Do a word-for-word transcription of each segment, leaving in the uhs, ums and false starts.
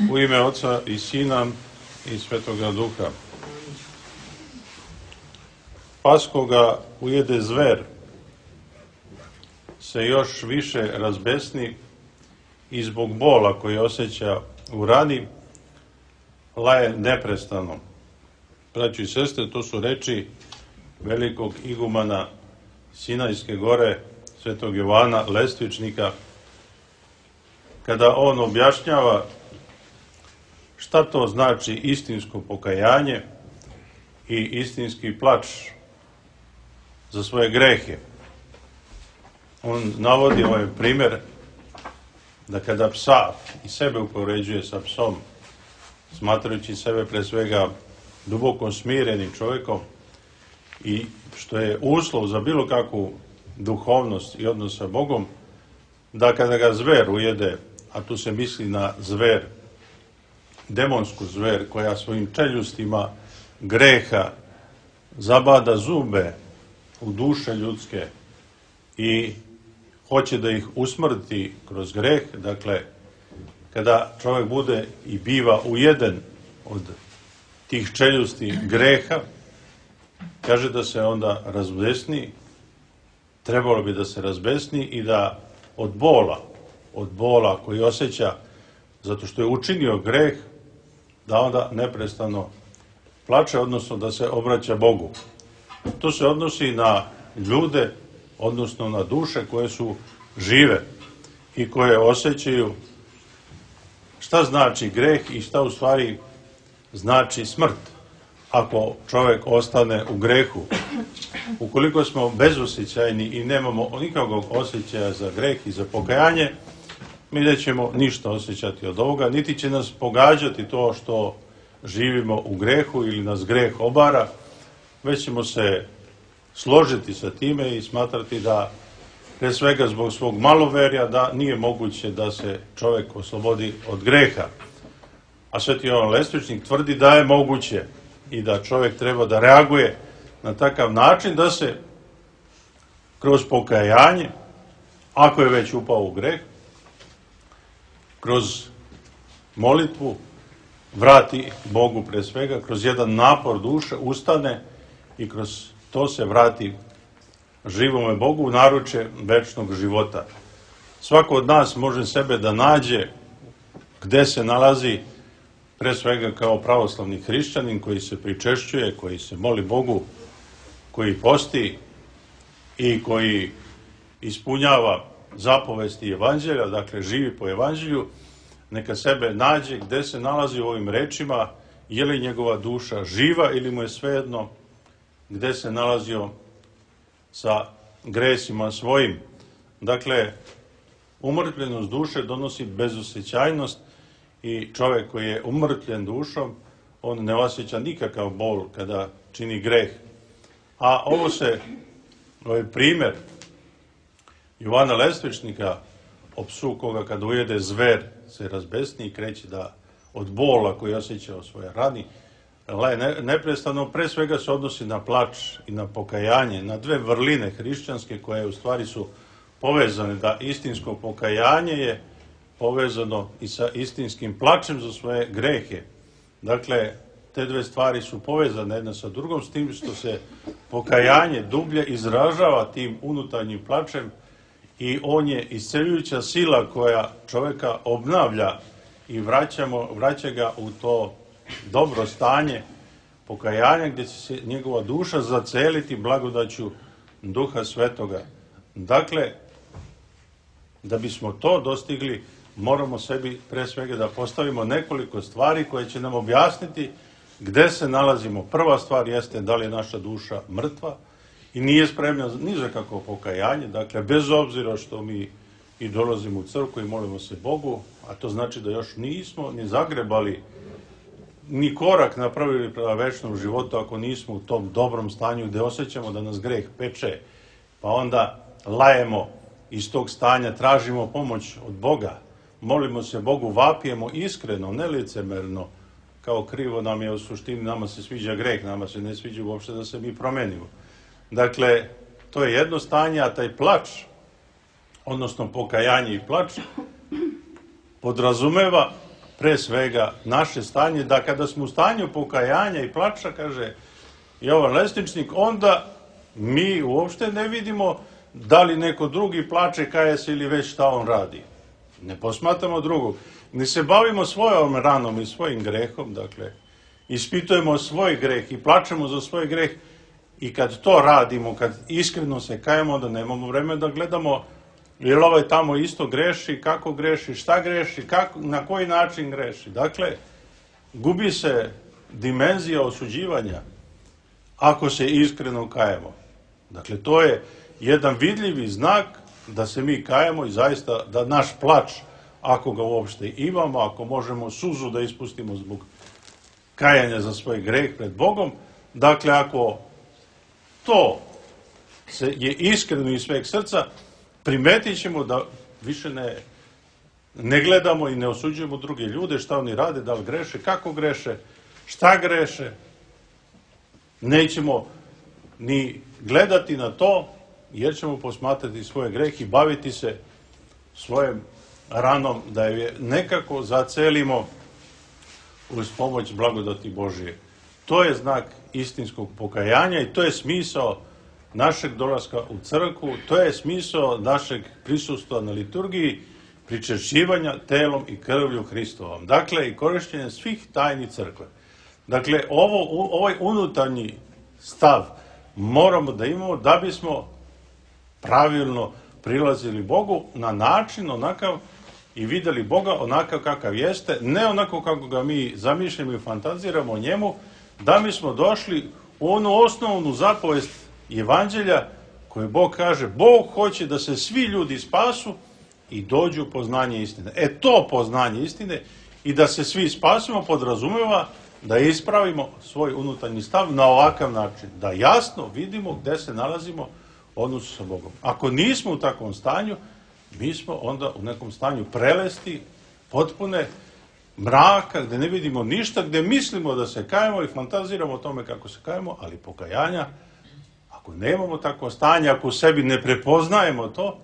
U ime Oca i Sina i Svetoga Duha. Pas koga ujede zver se još više razbesni i zbog bola koji osjeća u rani laje neprestano. Braćo i sestre, to su reči velikog igumana Sinajske gore, Svetog Jovana Lestvičnika, kada on objašnjava šta to znači istinsko pokajanje i istinski plač za svoje grehe. On navodi ovaj primjer da kada psa i sebe upoređuje sa psom, smatrajući sebe pre svega duboko smirenim čovjekom i što je uslov za bilo kakvu duhovnost i odnos sa Bogom, da kada ga zver ujede, a tu se misli na zver, demonsku zver koja svojim čeljustima greha zabada zube u duše ljudske i hoće da ih usmrti kroz greh. Dakle, kada čovjek bude i biva ujeden od tih čeljusti greha, kaže da se onda razbesni, trebalo bi da se razbesni i da od bola, od bola koji osjeća zato što je učinio greh, da onda neprestano plače, odnosno da se obraća Bogu. To se odnosi na ljude, odnosno na duše koje su žive i koje osjećaju šta znači greh i šta u stvari znači smrt ako čovjek ostane u grehu. Ukoliko smo bezosjećajni i nemamo nikakvog osjećaja za greh i za pokajanje, mi nećemo ništa osjećati od ovoga, niti će nas pogađati to što živimo u grehu ili nas greh obara, već ćemo se složiti sa time i smatrati da, pre svega zbog svog maloverja, da nije moguće da se čovjek oslobodi od greha. A Sveti Jovan Lestvičnik tvrdi da je moguće i da čovjek treba da reaguje na takav način da se kroz pokajanje, ako je već upao u greh, kroz molitvu vrati Bogu pre svega, kroz jedan napor duše ustane i kroz to se vrati živome Bogu u naručje večnog života. Svako od nas može sebe da nađe gde se nalazi, pre svega kao pravoslavni hrišćanin koji se pričešćuje, koji se moli Bogu, koji posti i koji ispunjava zapovesti evanđelja, dakle živi po evanđelju, neka sebe nađe gde se nalazi u ovim rečima, je li njegova duša živa ili mu je svejedno gde se nalazio sa gresima svojim. Dakle, umrtljenost duše donosi bezosjećajnost i čovjek koji je umrtljen dušom, on ne osjeća nikakav bol kada čini greh. A ovo se, ovaj primjer Jovana Lestvičnika o psu koga kada ujede zver se razbesni i kreće da od bola koji osjeća o svojoj rani, neprestano pre svega se odnosi na plač i na pokajanje, na dve vrline hrišćanske koje u stvari su povezane, da istinsko pokajanje je povezano i sa istinskim plačem za svoje grehe. Dakle, te dve stvari su povezane jedna sa drugom, s tim što se pokajanje dublje izražava tim unutarnjim plačem i on je isceljujuća sila koja čovjeka obnavlja i vraćamo, vraća ga u to dobro stanje pokajanja gdje će se njegova duša zaceliti blagodaću Duha Svetoga. Dakle, da bismo to dostigli, moramo sebi pre svega da postavimo nekoliko stvari koje će nam objasniti gde se nalazimo. Prva stvar jeste da li je naša duša mrtva i nije spremna ni za kakvo pokajanje, dakle bez obzira što mi i dolazimo u crkvu i molimo se Bogu, a to znači da još nismo ni zagrebali ni korak napravili prema večnom životu ako nismo u tom dobrom stanju gde osjećamo da nas greh peče, pa onda lajemo iz tog stanja, tražimo pomoć od Boga, molimo se Bogu, vapijemo iskreno, ne licemerno, kao krivo nam je u suštini, nama se sviđa greh, nama se ne sviđa uopšte da se mi promenimo. Dakle, to je jedno stanje, a taj plač, odnosno pokajanje i plač, podrazumeva pre svega naše stanje, da kada smo u stanju pokajanja i plača, kaže Jovan Lesničnik, onda mi uopšte ne vidimo da li neko drugi plače, kaje se ili već šta on radi. Ne posmatramo drugog. Ne se bavimo svojom ranom i svojim grehom, dakle, ispitujemo svoj greh i plačemo za svoj greh i kad to radimo, kad iskreno se kajemo, onda nemamo vreme da gledamo jer ovaj tamo isto greši, kako greši, šta greši, kako, na koji način greši. Dakle, gubi se dimenzija osuđivanja ako se iskreno kajemo. Dakle, to je jedan vidljivi znak da se mi kajemo i zaista da naš plač, ako ga uopšte imamo, ako možemo suzu da ispustimo zbog kajanja za svoj greh pred Bogom, dakle, ako to se je iskreno iz sveg srca, primetit ćemo da više ne, ne gledamo i ne osuđujemo druge ljude, šta oni rade, da li greše, kako greše, šta greše. Nećemo ni gledati na to, jer ćemo posmatrati svoje greh i baviti se svojom ranom, da je nekako zacelimo uz pomoć blagodati Božije. To je znak istinskog pokajanja i to je smisao našeg dolaska u crkvu, to je smisao našeg prisustva na liturgiji, pričešćivanja telom i krvlju Hristovom. Dakle, i korišćenje svih tajni crkve. Dakle, ovo, ovaj unutarnji stav moramo da imamo da bismo pravilno prilazili Bogu na način onakav i videli Boga onakav kakav jeste, ne onako kako ga mi zamišljamo i fantaziramo o njemu, da mi smo došli u onu osnovnu zapovest Evanđelja koje Bog kaže, Bog hoće da se svi ljudi spasu i dođu u poznanje istine. E to poznanje istine i da se svi spasimo podrazumeva da ispravimo svoj unutarnji stav na ovakav način, da jasno vidimo gde se nalazimo u odnosu sa Bogom. Ako nismo u takvom stanju, mi smo onda u nekom stanju prelesti, potpune mraka, gde ne vidimo ništa, gde mislimo da se kajemo i fantaziramo o tome kako se kajemo, ali pokajanja, ako nemamo takvo stanje, ako u sebi ne prepoznajemo to,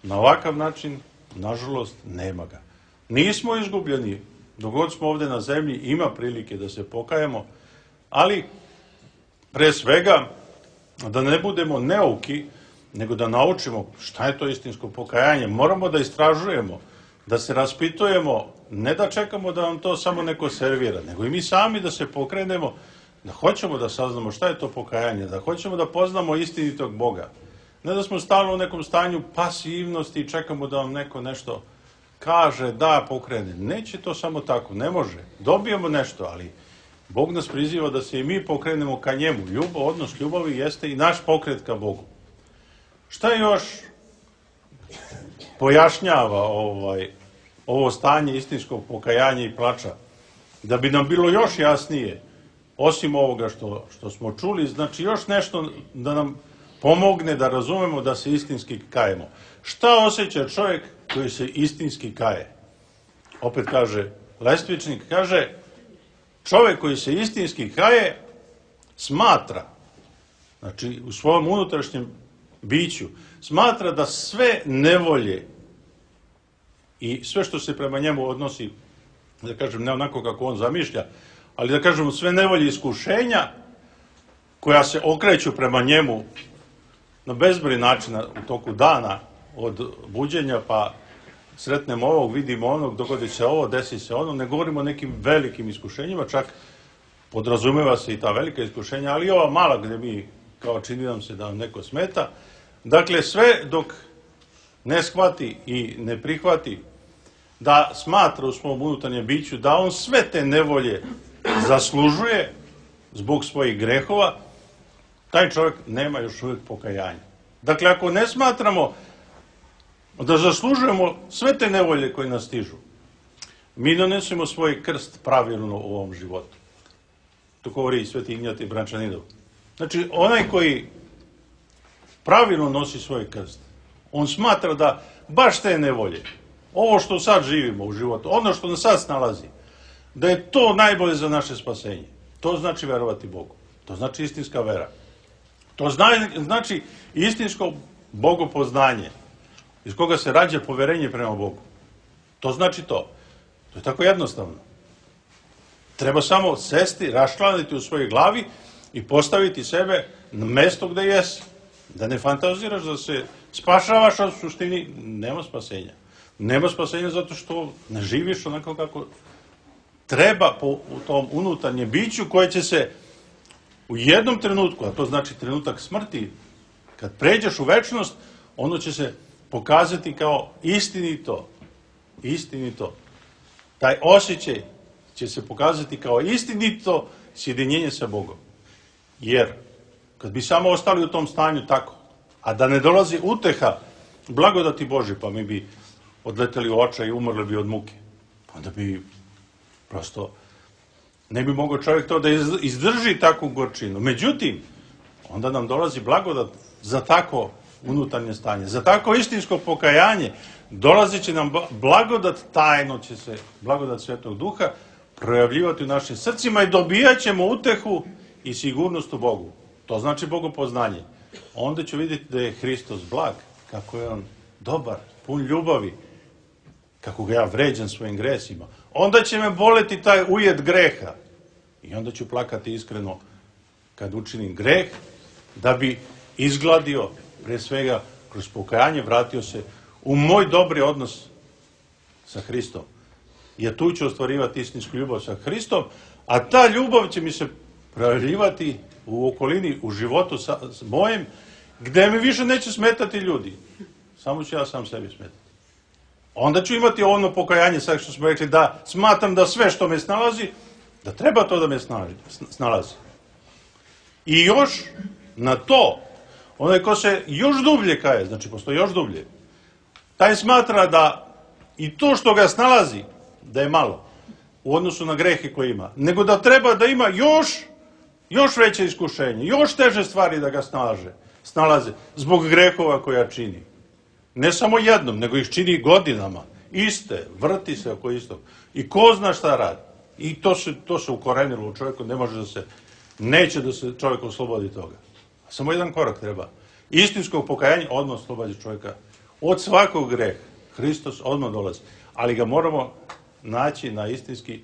na ovakav način, nažalost, nema ga. Nismo izgubljeni, dok god smo ovde na zemlji, ima prilike da se pokajemo, ali pre svega da ne budemo neuki, nego da naučimo šta je to istinsko pokajanje. Moramo da istražujemo, da se raspitujemo, ne da čekamo da nam to samo neko servira, nego i mi sami da se pokrenemo, da hoćemo da saznamo šta je to pokajanje, da hoćemo da poznamo istinitog Boga. Ne da smo stalno u nekom stanju pasivnosti i čekamo da vam neko nešto kaže, da, pokrene. Neće to samo tako, ne može. Dobijemo nešto, ali Bog nas priziva da se i mi pokrenemo ka njemu. Ljubav, odnos ljubavi jeste i naš pokret ka Bogu. Šta još pojašnjava ovaj, ovo stanje istinskog pokajanja i plača? Da bi nam bilo još jasnije, osim ovoga što, što smo čuli, znači još nešto da nam pomogne da razumemo da se istinski kajemo. Šta osjeća čovjek koji se istinski kaje? Opet kaže Lestvičnik, kaže, čovjek koji se istinski kaje smatra, znači u svom unutrašnjem biću, smatra da sve nevolje i sve što se prema njemu odnosi, da kažem, ne onako kako on zamišlja, ali da kažemo sve nevolje iskušenja koja se okreću prema njemu na bezbroj načina u toku dana, od buđenja pa sretnemo ovog, vidimo onog, dogodi se ovo, desi se ono, ne govorimo o nekim velikim iskušenjima, čak podrazumeva se i ta velika iskušenja, ali i ova mala gde mi, kao čini nam se da nam neko smeta. Dakle, sve dok ne shvati i ne prihvati da smatra u svom unutarnjem biću da on sve te nevolje zaslužuje zbog svojih grehova, taj čovjek nema još uvijek pokajanja. Dakle, ako ne smatramo da zaslužujemo sve te nevolje koje nas stižu, mi donesemo svoj krst pravilno u ovom životu. To govori i Sveti Ignjatij Brančaninov. Znači, onaj koji pravilno nosi svoj krst, on smatra da baš te nevolje, ovo što sad živimo u životu, ono što nas sad snalazi, da je to najbolje za naše spasenje. To znači verovati Bogu. To znači istinska vera. To znači istinsko bogopoznanje, iz koga se rađa poverenje prema Bogu. To znači to. To je tako jednostavno. Treba samo sesti, raščlaniti u svojoj glavi i postaviti sebe na mesto gde jesi. Da ne fantaziraš da se spašavaš, a u suštini nema spasenja. Nema spasenja zato što ne živiš onako kako treba po u tom unutarnjem biću koje će se u jednom trenutku, a to znači trenutak smrti, kad pređeš u večnost, ono će se pokazati kao istinito. Istinito. Taj osjećaj će se pokazati kao istinito sjedinjenje sa Bogom. Jer kad bi samo ostali u tom stanju tako, a da ne dolazi uteha blagodati Božje, pa mi bi odleteli u očaj i umrli bi od muke. Onda bi prosto ne bi mogao čovjek to da izdrži takvu gorčinu. Međutim, onda nam dolazi blagodat za tako unutarnje stanje, za tako istinsko pokajanje. Dolazit će nam blagodat, tajno će se blagodat Svetog Duha projavljivati u našim srcima i dobijat ćemo utehu i sigurnost u Bogu. To znači bogopoznanje. Onda ću vidjeti da je Hristos blag, kako je on dobar, pun ljubavi, kako ga ja vređam svojim gresima. Onda će me boleti taj ujed greha. I onda ću plakati iskreno kad učinim greh, da bi izgladio, pre svega, kroz pokajanje, vratio se u moj dobri odnos sa Hristom. Jer tu ću ostvarivati istinsku ljubav sa Hristom, a ta ljubav će mi se projavljivati u okolini, u životu sa, mojem, gde mi više neće smetati ljudi. Samo ću ja sam sebi smetati. Onda ću imati ono pokajanje, sad što smo rekli, da smatram da sve što me snalazi, da treba to da me snalazi. I još na to, onaj ko se još dublje kaje, znači postoji još dublje, taj smatra da i to što ga snalazi, da je malo u odnosu na grehe koje ima, nego da treba da ima još, još veće iskušenje, još teže stvari da ga snalaže, snalaze, zbog grehova koja čini. Ne samo jednom, nego ih čini godinama, iste, vrti se oko istog. I ko zna šta radi. I to se, to se ukorenilo u čovjeku, ne može da se, neće da se čovjek oslobodi toga. Samo jedan korak treba. Istinskog pokajanja odmah oslobađa čovjeka od svakog greha. Hristos odmah dolazi. Ali ga moramo naći na istinski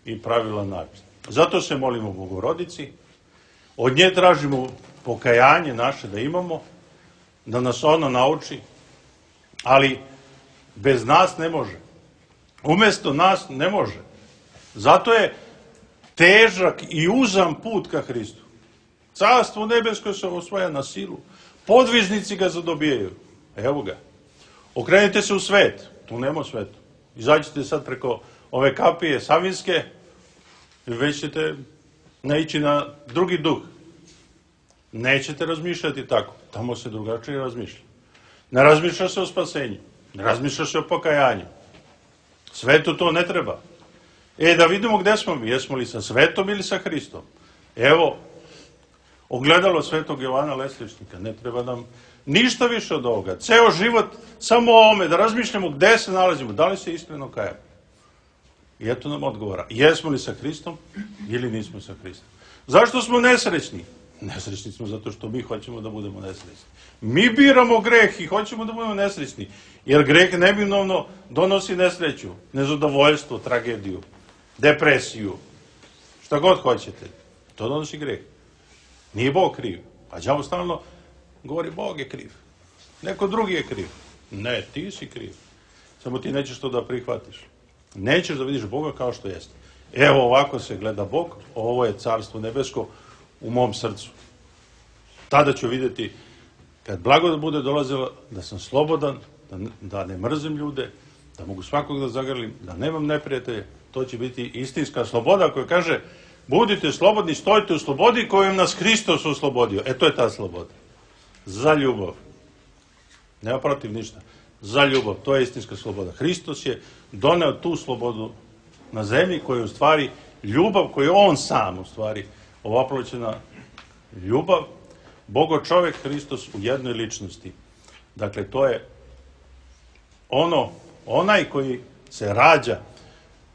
i pravilan način. Zato se molimo Bogorodici, od nje tražimo pokajanje naše da imamo, da nas ona nauči, ali bez nas ne može. Umjesto nas ne može. Zato je težak i uzam put ka Hristu. Carstvo nebesko se osvaja na silu. Podvižnici ga zadobijaju. Evo ga. Okrenite se u svet. Tu nema svetu. Izađite sad preko ove kapije Savinske i već ćete naići na drugi duh. Nećete razmišljati tako. Tamo se drugačije razmišlja. Ne razmišlja se o spasenju. Ne razmišlja se o pokajanju. Svetu to ne treba. E, da vidimo gde smo mi. Jesmo li sa svetom ili sa Hristom? Evo, ogledalo Svetog Jovana Lesličnika. Ne treba nam ništa više od ovoga. Ceo život samo o ome, da razmišljamo gde se nalazimo. Da li se iskreno kajamo? I eto nam odgovora. Jesmo li sa Hristom ili nismo sa Hristom? Zašto smo nesrećni? Nesrećni smo zato što mi hoćemo da budemo nesrećni. Mi biramo greh i hoćemo da budemo nesrećni. Jer greh neminovno donosi nesreću, nezadovoljstvo, tragediju, depresiju, šta god hoćete. To donosi greh. Nije Bog kriv. A đavo stalno govori Bog je kriv. Neko drugi je kriv. Ne, ti si kriv. Samo ti nećeš to da prihvatiš. Nećeš da vidiš Boga kao što jeste. Evo ovako se gleda Bog, ovo je carstvo nebesko u mom srcu. Tada ću vidjeti, kad blagodat bude dolazila, da sam slobodan, da, da ne mrzim ljude, da mogu svakog da zagrlim, da nemam neprijatelje. To će biti istinska sloboda koja kaže, budite slobodni, stojite u slobodi kojom nas Hristos oslobodio. E, to je ta sloboda. Za ljubav. Nema protiv ništa. Za ljubav. To je istinska sloboda. Hristos je doneo tu slobodu na zemlji koja je u stvari ljubav koju on sam u stvari ovaploćena ljubav. Bogo čovjek Hristos u jednoj ličnosti. Dakle, to je ono, onaj koji se rađa,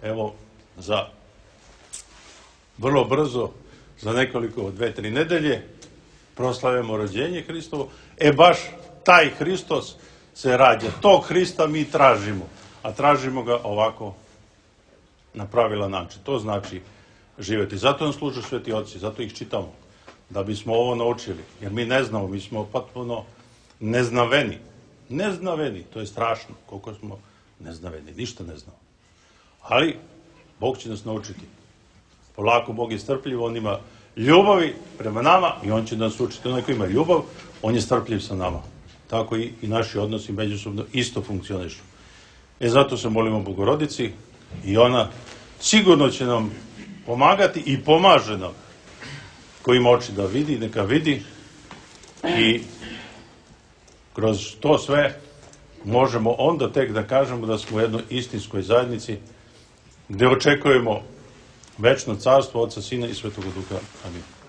evo, za vrlo brzo, za nekoliko, dve, tri nedelje, proslavimo rođenje Hristovo. E, baš taj Hristos se rađa. Tog Hrista mi tražimo. A tražimo ga ovako na pravilan način. To znači živjeti. Zato nam služe sveti oci, zato ih čitamo, da bismo ovo naučili. Jer mi ne znamo, mi smo potpuno neznaveni. Neznaveni, to je strašno, koliko smo neznaveni, ništa ne znamo. Ali, Bog će nas naučiti. Polako Bog je strpljiv, on ima ljubavi prema nama i on će nas učiti. Onaj ko ima ljubav, on je strpljiv sa nama. Tako i, i naši odnosi međusobno isto funkcionišu. E zato se molimo Bogorodici i ona sigurno će nam pomagati i pomaže nam. Ko ima oči da vidi, neka vidi i kroz to sve možemo onda tek da kažemo da smo u jednoj istinskoj zajednici gde očekujemo večno carstvo Otca, Sina i Svetoga Duha. Amin.